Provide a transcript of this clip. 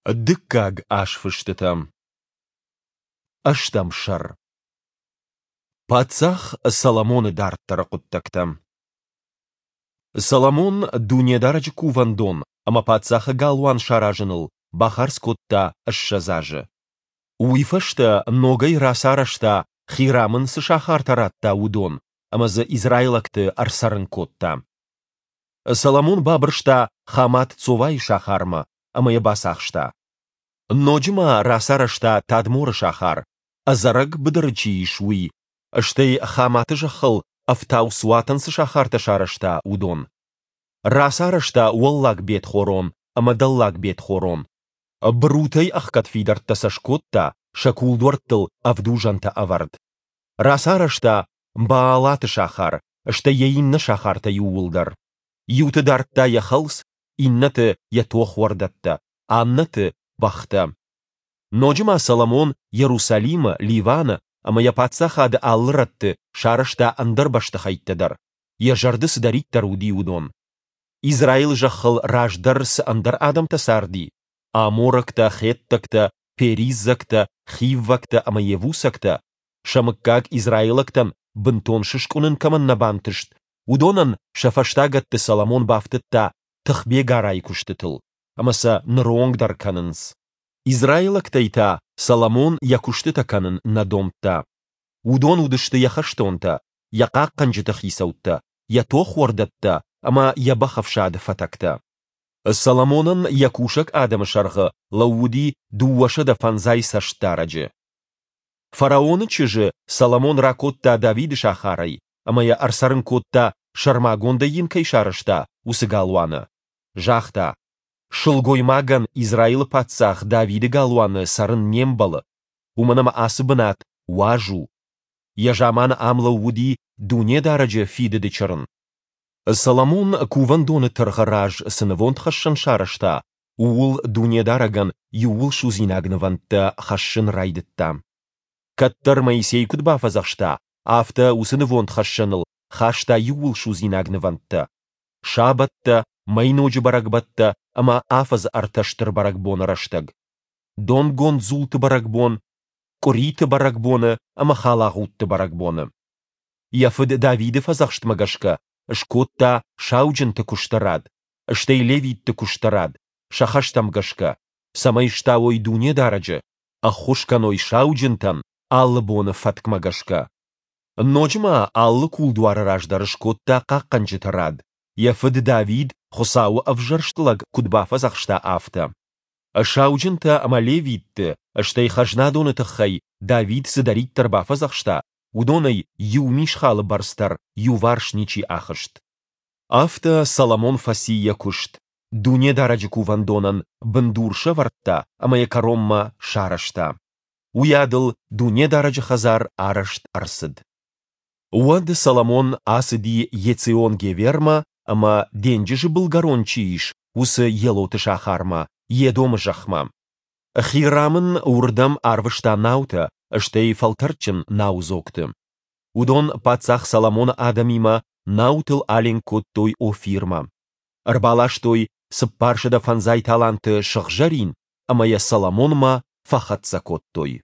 Дыккаг азфыстытӕ. Ӕстӕм сӕр. Паддзах Соломоны дарддӕры хъуыддӕгтӕ. Соломон Дунедарӕджы кувӕндон ӕмӕ паддзахы галуан саразыныл бахардз кодта 20 азы. Уый фӕстӕ ногӕй рацарӕзта, Хирам ын цы сахартӕ радта, уыдон ӕмӕ дзы израилӕгты ӕрцӕрын кодта. Соломон бабырста Хамат-Цовайы сахармӕ ӕмӕ йӕ бацахста. Ноджы ма рацарӕзта Тадморы сахар, ӕдзӕрӕг быдыры чи ис, уый, стӕй Хаматы зӕххыл ӕфтауцуатӕн цы сахартӕ сарӕзта, уыдон. Рацарӕзта Уӕллаг Бет-Хорон ӕмӕ Дӕллаг Бет-Хорон. Бырутӕй ӕхгӕд фидӕрттӕ сӕ скодта, сӕ кулдуӕрттыл ӕвдузӕнтӕ ӕвӕрд. Рацарӕзта Баалаты сахар, стӕй йӕ иннӕ сахартӕ иууылдӕр. Иуты дардта йӕ хӕлц, иннӕты йӕ тохуӕрдӕттӕ, аннӕты бӕхтӕ. Ноджы ма Соломон Иерусалимы, Ливаны ӕмӕ йӕ паддзахады алы рӕтты сарӕзта ӕндӕр бӕстыхӕйттӕ дӕр, йӕ зӕрды цыдӕриддӕр уыди, уыдон. Израилы зӕххыл раздӕр цы ӕндӕр адӕмтӕ царди, аморӕгтӕ, хеттӕгтӕ, периззӕгтӕ, хиввӕгтӕ ӕмӕ йевусӕгтӕ, сӕ мыггаг израилӕгтӕн бынтон сыскъуынын кӕмӕн нӕ бантыст, уыдонӕн сӕ фӕстагӕтты Соломон бафтыдта тыхбегарайы куыстытыл, ӕмӕ сӕ ныронг дӕр кӕнынц. Израилӕгтӕй та Соломон йӕ куыстытӕ кӕнын нӕ домдта. Уыдон уыдысты йӕ хӕстонтӕ, йӕ хъахъхъӕнджыты хицӕуттӕ, йӕ тохуӕрдӕттӕ ӕмӕ йӕ бӕхӕфсады фӕтӕгтӕ. Соломонӕн йӕ кусӕг адӕмы сӕргъы лӕууыди 250 цӕстдарӕджы. Фараоны чызджы Соломон ракодта Давиды сахарӕй ӕмӕ йӕ ӕрцӕрын кодта, сӕрмагондӕй йын кӕй сарӕзта, уыцы галуаны. Загъта, Сылгоймагӕн Израилы паддзах Давиды галуаны цӕрын не мбӕлы, уымӕн ӕмӕ ацы бынат уаз у. Йӕ заманы ам лӕууыди Дунедарӕджы фидыды чырын. Соломон кувӕндоны тыргъы раз цы нывондхӕссӕн сарӕзта, ууыл Дунедарӕгӕн иууылсудзинаг нывӕндтӕ хӕссын райдыдта. Кӕддӕр Моисей куыд бафӕдзӕхста, афтӕ уыцы нывондхӕссӕныл хаста иууылсудзинаг нывӕндтӕ: сабӕттӕ, мӕйноджы бӕрӕгбӕттӕ ӕмӕ афӕдзы ӕртӕ стыр бӕрӕгбоны рӕстӕг, донгонд дзулты бӕрӕгбон, къуыриты бӕрӕгбоны ӕмӕ халагъудты бӕрӕгбоны. Йӕ фыд Давиды фӕдзӕхстмӕ гӕсгӕ скодта сауджынты куысты рад, стӕй левитты куысты рад, сӕ хӕстӕм гӕсгӕ, цӕмӕй стауой Дунедарӕджы, ӕххуыс кӕной сауджынтӕн алы боны фӕткмӕ гӕсгӕ. Ноджы ма алы кулдуары раз дӕр скодта хъахъхъӕнджыты рад, йӕ фыд Давид, Хуыцауы ӕвзӕрст лӕг, куыд бафӕдзӕхста, афтӕ. Сауджынтӕ ӕмӕ левитты, стӕй хӕзнадоны тыххӕй Давид цыдӕриддӕр бафӕдзӕхста, уыдонӕй иу мисхалы бӕрц дӕр иуварс ничи ахызт. Афтӕ Соломон фӕци йӕ куыст, Дунедарӕджы кувӕндонӕн бындур сӕвӕрдта ӕмӕ йӕ кӕронмӕ сарӕзта. Уыйадыл Дунедарӕджы хӕдзар арӕзт ӕрцыд. Уӕд Соломон ацыди Ецион-Гевермӕ ӕмӕ, денджызы былгӕрон чи ис, уыцы Елоты сахармӕ, Едомы зӕхмӕ. Хирам ын уырдӕм арвыста наутӕ, стӕй фӕлтӕрдджын наудзогты. Уыдон паддзах Соломоны адӕмимӕ наутыл аленк кодтой Офирмӕ. Ӕрбаластой 450 таланты сыгъзӕрин ӕмӕ йӕ Соломонмӕ фӕхӕццӕ кодтой.